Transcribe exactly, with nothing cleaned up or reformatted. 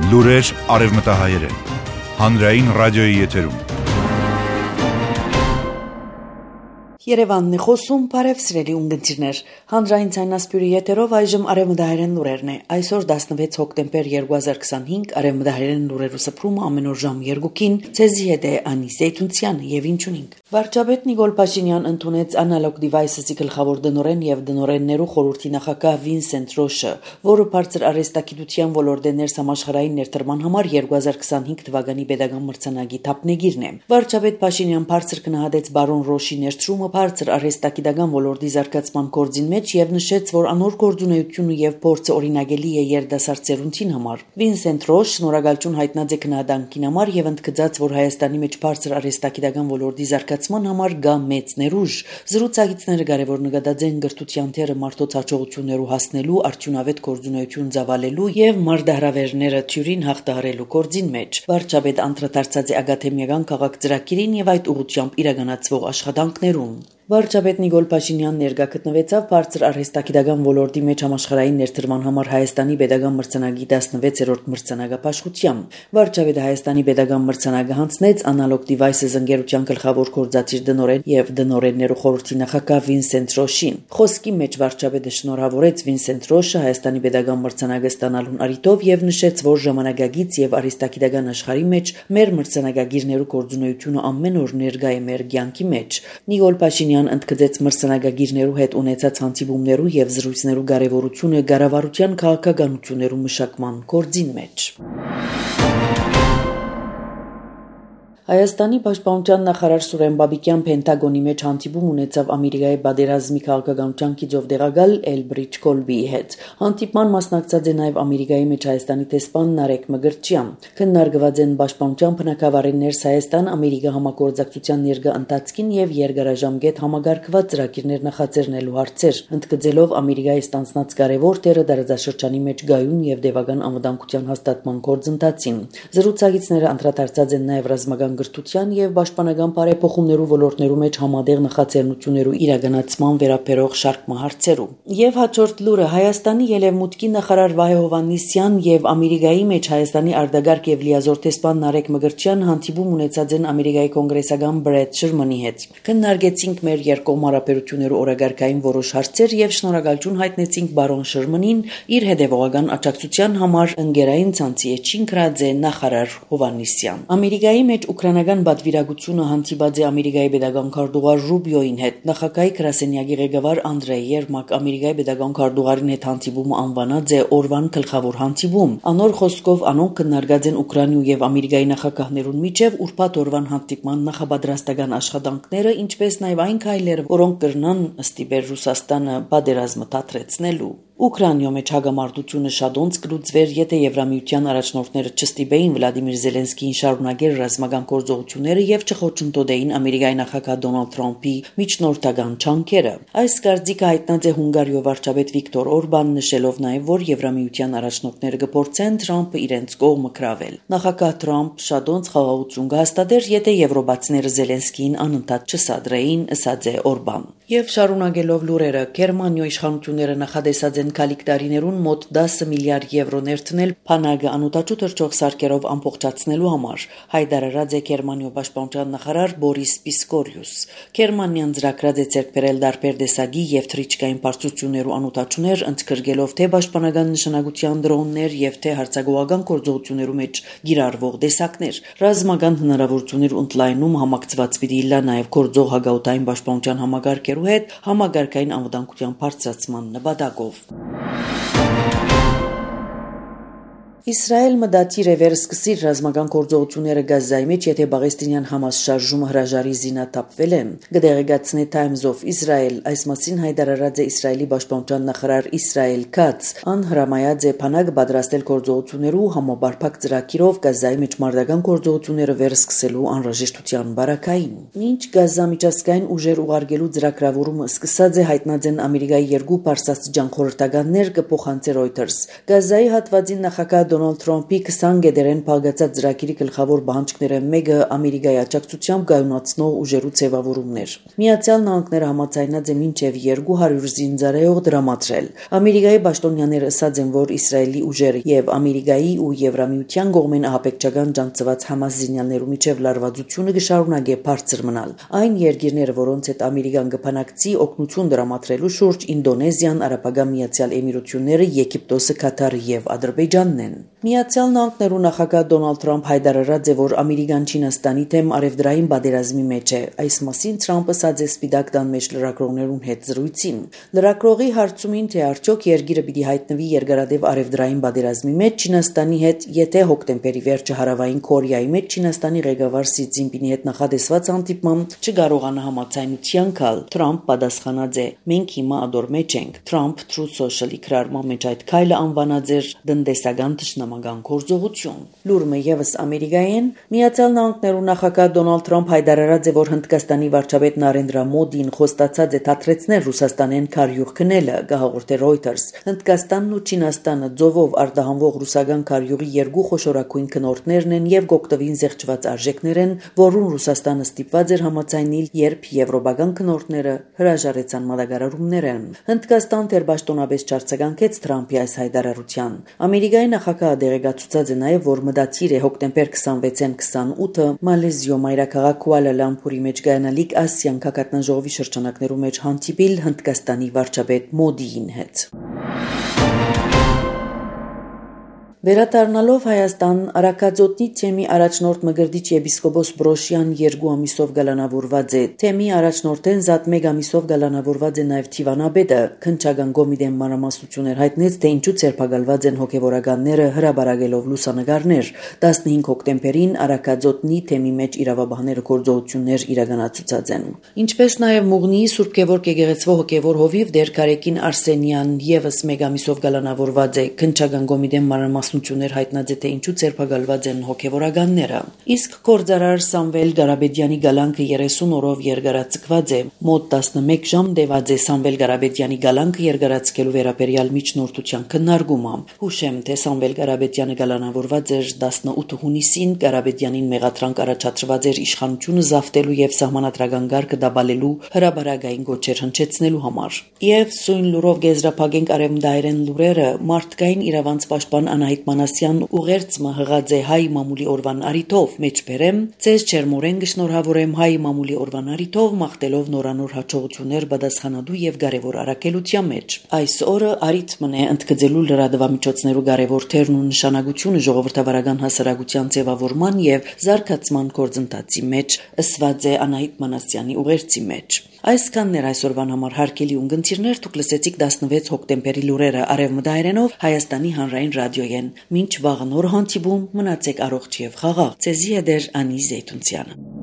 Լուրեր արևմտահայերեն, հանրային ռադիոյի եթերում։ Երևանն է խոսում, բարև սիրելի ունգընտիրներ, հանրային ցայնասպյուրի եթերով այժմ արևմտահայերեն լուրերն է, այսօր տասնվեց հոկտեմբեր երկու հազար քսանհինգ, արևմտահայերեն լուրերու սփռումը ամեն օր ժամ երկուքին, ցեզի հետ է Անի Զեյթունցյանը եւ ինչ ունենք։ Վարչապետ Նիկոլ Փաշինյան ընդունեց Analog Devices-ի գլխավոր դնորեն եւ դնորեններու խորհրդի նախագահ Վինսենտ Ռոշը, որը բարձր արհեստագիտության ոլորտի ներսամաշխարհային ներդրման համար երկու հազար քսանհինգ թվականի pedagogan մրցանակի թափնեգիրն է։ Վարչապետ Փաշինյան բարձր գնահատեց բարոն Ռոշի ներդրումը բարձր արհեստագիտական ոլորտի զարգացման գործին մեջ եւ նշեց, որ անոր գործունեությունը եւ փորձը օրինագելի է երիտասարդ ծերունցին համար։ Վինսենտ Ռոշ շնորհակալություն հայտնած է քննադանքին համար եւ ընդգծած, որ Հայաստանի մեջ բարձր արհեստագիտական ոլորտի զարգացման համար գա մեծ ներուժ։ Զրուցակիցները կարևոր նկատած են գրթության թերը մարդոց հաջողություններու հասնելու, արդյունավետ գործունեություն ծավալելու եւ մարդահրավերները թյուրին հաղթահարելու գործին մեջ։ Վարչապետ անդրադարձած է ակադեմիական քաղաք ծրագիրին եւ այդ ուղղությամբ իրականացվող աշխատանքներուն։ Վարչապետ Նիկոլ Փաշինյանն ներկա գտնվեցավ բարձր արհեստագիտական ոլորտի մեջ համաշխարհային ներդրման համար Հայաստանի pedagogan մրցանակի տասնվեցերորդ մրցանակապաշխությամբ։ Վարչապետը Հայաստանի pedagogan մրցանակը հանձնեց Analog Devices ընկերության գլխավոր գործադիր դնորեն եւ դնորեններու խորհրդի նախագահ Վինսենտ Ռոշին։ Խոսքի մեջ վարչապետը շնորհավորեց Վինսենտ Ռոշը Հայաստանի pedagogan մրցանակը ստանալուն առիթով եւ նշեց, որ ժամանակագից եւ արհեստագիտական աշխարհի մեջ մեր մրցանակագիրներու գործունեությունը ամեն օր ներկա է մեր կյանքի մեջ։ Նիկոլ Փաշինյան ընդգծեց մրցանակագիրներու հետ ունեցած հանդիպումներու եւ զրույցներու կարեւորությունը կառավարության քաղաքականություններու մշակման գործին մեջ։ Հայաստանի պաշտպանության նախարար Սուրեն Բաբիկյան Պենտագոնի մեջ հանդիպում ունեցավ Ամերիկայի պատերազմի քաղաքականության գիծով դեղակալ Էլբրիջ Կոլբիի հետ։ Հանդիպման մասնակցած է նաև Ամերիկայի մեջ Հայաստանի տեսփան Նարեկ Մգրտչյան։ Քննարկված են պաշտպանության բնակավարի ներս Հայաստան-Ամերիկա համագործակցության ներկա ընթացքին եւ երկարաժամկետ համագարկված ծրագիրներ նախաձեռնելու հարցեր, ընդգծելով Ամերիկայի ստանձնած կարևոր դերը դարաշրջանի մեջ գայուն եւ դեպական անվտանգության հաստատման գործընթացին։ Զրուցակիցները անդրադարձած են նաև ռազմական գրթության եւ պաշտպանական բարեփոխումներու ոլորտներու մեջ համատեղ նախաձեռնություններու իրականացման վերաբերող շարք հարցերու։ Եվ հաջորդ լուրը Հայաստանի ելևմուտքի նախարար Վահե Հովհաննիսյան եւ Ամերիկայի մեջ Հայաստանի արտագաղթ եւ լիազոր տեսփան Նարեկ Մգրտչյան հանդիպում ունեցած են Ամերիկայի կոնգրեսական Բրեդ Շերմանի հետ։ Քննարկեցինք մեր երկկողմ հարաբերություններու օրակարգային որոշ հարցեր եւ շնորհակալություն հայտնեցինք բարոն Շերմանին իր հետեւողական աջակցության համար ընկերային ցանցի էջին գրած է նախարար Հովհաննիսյան։ Ամերիկայի մեջ Ուկրաինական պատվիրակությունը հանդիպած է Ամերիկայի pedagogan քարտուղար Ռուբիոին հետ։ Նախագահի գրասենյակի ղեկավար Անդրեյ Երմակ Ամերիկայի pedagogan քարտուղարին հետ հանդիպումը անվանած է օրվան գլխավոր հանդիպում։ Անոր խոսքով անոնք քննարկած են Ուկրաինու եւ Ամերիկայի նախագահներուն միջև ուրբաթ օրվան հանդիպման նախապատրաստական աշխատանքները, ինչպես նաեւ այն քայլերը, որոնք կրնան ստիպել Ռուսաստանը պատերազմը դադրեցնելու։ Ուկրաինայում մեջ հագամարտությունը շատոնց կլուծվեր, եթե Եվրամիության առաջնորդները չստիպեին Վլադիմիր Զելենսկիին շարունակել ռազմական գործողությունները եւ չխոչընդոտեին Ամերիկայի նախագահ Դոնալդ Թրամփի միջնորդական ջանքերը։ Այս կարծիքը հայտնած է Հունգարիո վարչապետ Վիկտոր Օրբանն նշելով նաեւ, որ Եվրամիության առաջնորդները կփորձեն Թրամփը իրենց կողմը կրավել։ Նախագահ Թրամփ շատոնց խաղաղություն կհաստատեր, եթե եվրոպացիները Զելենսկիին անընդհատ չսադրեին, ըսած է Օրբան։ Եվ շարունակելով լուրերը, Գերմանիո իշխանությունները նախադեсած են գալիք տարիներուն մոտ դասը միլիարդ եվրո ներդնել Փանագը անօտաչու թռչող սարքերով ամբողջացնելու համար, հայտարարած է Գերմանիո պաշտպանության նախարար Բորիս Պիսկորիուս։ Գերմանիան ծրագրած է ձեռք բերել տարբեր տեսակի եւ թռիչքային բարձրություններու անօտաչուներ, ընդգրկելով թե պաշտպանական նշանակության դրոններ եւ թե հարձակողական գործողություններու մեջ գիրառվող տեսակներ։ Ռազմական հնարավորություններ ընդլայնում համակցված պիտի լա նաեւ գործող հագաուտային պաշտպանության համագարկերու հետ համագարկային անվտանգության բարձրացման նպատակով։ Իսրայել մտադիր է վերսկսիր ռազմական գործողությունները Գազայի մեջ, եթե Պաղեստինյան Համաս շարժումը հրաժարի զինաթափվել է։ Կդեղեկացնի Times of Israel, այս մասին հայտարարած է Իսրայելի պաշտպանության նախարար Իսրայել Քաց, ան հրամայած է Փանագը պատրաստել գործողություններու համապարփակ ծրագիրով Գազայի մեջ մարտական գործողությունները վերսկսելու անհրաժեշտության բարակային։ Մինչ Գազա միջազգային ուժեր ուղարկելու ծրագրավորումը սկսած է, հայտնած են Ամերիկայի երկու պարսաստիճան խորհրդականներ կփոխանցի Reuters։ Գազայի հատվածին նախագահ Դոնալդ Թրամփի քսան գեդերեն փակացած ծրագիրի գլխավոր բանջկները մեկը Ամերիկայի աջակցությամբ գայունացնող ուժերու ձևավորումն էր։ Միացյալ Նահանգները համաձայնած է մինչև երկու հարյուր զինծառայող դրամատրել։ Ամերիկայի պաշտոնյաները ասած են, որ Իսրայելի ուժերը եւ Ամերիկայի ու Եվրամիության կողմեն ահաբեկչական ջանցված Համաս զինյալներու միջև լարվածությունը կշարունակի բարձր մնալ։ Այն երկիրները, որոնց հետ Ամերիկան կփանակցի օգնություն դրամատրելու շուրջ Ինդոնեզիան, Արաբական Միացյալ Էմիրությունները, Եգիպտոսը, Կատարը եւ Ադրբեջանն են։ Միացյալ Նահանգներու նախագահ Դոնալդ Թրամփ հայտարարած է, որ Ամերիկան Չինաստանի դեմ արևդրային բادرազմի մեջ է։ Այս մասին Թրամփը ասաց է Սպիտակ տան մեջ լրագրողներուն հետ զրույցին։ Լրագրողի հարցումին, թե արդյոք երկիրը պիտի հայտնվի երկարատև արևդրային բادرազմի մեջ Չինաստանի հետ, եթե հոկտեմբերի վերջը հարավային Կորեայի մեջ Չինաստանի ղեկավար Սի Ցզինպինի հետ նախադեсված հանդիպմամբ չկարողանա համաձայնության գալ, Թրամփ պատասխանած է. «Մենք հիմա ադոր մեջ ենք»։ Թրամփ Truth Social-ի գրառման մեջ այդ քայլը անվանած էր տնտեսական թշնամական գործողություն։ Լուրը եւս Ամերիկայեն Միացյալ Նահանգներու նախագահ Դոնալդ Թրամփ հայտարարած է, որ Հնդկաստանի վարչապետ Նարենդրա Մոդին խոստացած է թատրեցնել Ռուսաստանեն քարյուղ քնելը, գահաղորդե Reuters։ Հնդկաստանն ու Չինաստանը ձովով արտահանվող ռուսական քարյուղի երկու խոշորագույն քնորդներն են եւ գոկտովին զեղչված արժեքներ են, որոնց Ռուսաստանը ստիպված էր համաձայնել, երբ եվրոպական քնորդները հրաժարեցան մատակարարումները։ Հնդկաստան դեռ պաշտոնապես չարձագանքեց Թրամփի այս հայտարարության։ Ամերիկայի նախագահը դեղեկացուցած է նաեւ, որ մտադիր է հոկտեմբեր քսանվեցին քսանութը Մալեզիո մայրաքաղաք Կուալա Լամփուրի մեջ կայանալիք Ասիան քաղաքատնաժողովի շրջանակներու մեջ հանդիպիլ Հնդկաստանի վարչապետ Մոդիին հետ։ Վերադառնալով Հայաստան, Արաքածոտնի թեմի առաջնորդ Մկրտիչ եպիսկոպոս Բրոշյան երկու ամիսով գալանավորված է։ Թեմի առաջնորդեն զատ մեկ ամիսով գալանավորված է նաև Թիվանաբեդը։ Քննչական կոմիտեն մանրամասնություններ հայտնեց, թե ինչու ցերպակալված են հոգևորականները հրաբարակելով լուսանկարներ։ տասնհինգ հոկտեմբերին Արաքածոտնի թեմի մեջ իրավաբանները գործողություններ իրականացուցած են։ Ինչպես նաև Մուղնիի Սուրբ Գևորգ եկեղեցվո հոգևոր հովիվ Դեր Կարեկին Արսենյան եւս մեկ ամիսով գալանավորված է։ Քննչական կոմիտեն մանրամասնություններ հայտնած է, թե ինչու ցերպակալված են հոգևորականները։ Իսկ գործարար Սամվել Գարաբեդյանի գալանքը երեսուն օրով երկարացկված է։ Մոտ տասնմեկ ժամ տևած է Սամվել Գարաբեդյանի գալանքը երկարացկելու վերաբերյալ միջնորդության քննարկումը։ Հուշեմ, թե Սամվել Գարաբեդյանը գալանավորված էր տասնութ հունիսին, Գարաբեդյանին մեղադրանք առաջադրված էր իշխանությունը զավթելու եւ սահմանադրական կարգը դաբալելու հրաբարակային գոչեր հնչեցնելու համար։ Եվ սույն լուրով գեզրափակենք արևմտահայերեն լուրերը, մարդկային իրավանց պաշտպան Անահիտ Մանասյան ուղերձը հղած է հայ մամուլի օրվան արիթով, մեջբերեմ, ցեզ չերմորեն գշնորհավորեմ հայ մամուլի օրվան արիթով, մաղթելով նորանոր հաջողություններ պատասխանատու եւ կարեւոր առաքելության մեջ։ Այս օրը արիթմն է ընդգծելու լրատվամիջոցներու կարեւոր թերն ու նշանակությունը ժողովրդավարական հասարակության ձևավորման եւ զարգացման գործընթացի մեջ, ըսված է Անահիտ Մանասյանի ուղերձի մեջ։ Այսքանն էր այսօրվան համար հարգելի ունգընտիրներ, դուք լսեցիք տասնվեց հոկտեմբերի լուրերը արևմտահայերենով Հայաստանի հանրային ռադիոյեն։ Մինչ վաղը նոր հանդիպում, մնացեք առողջ եւ խաղաղ։ Ցեզի է դեր Անի Զեյթունցյանը։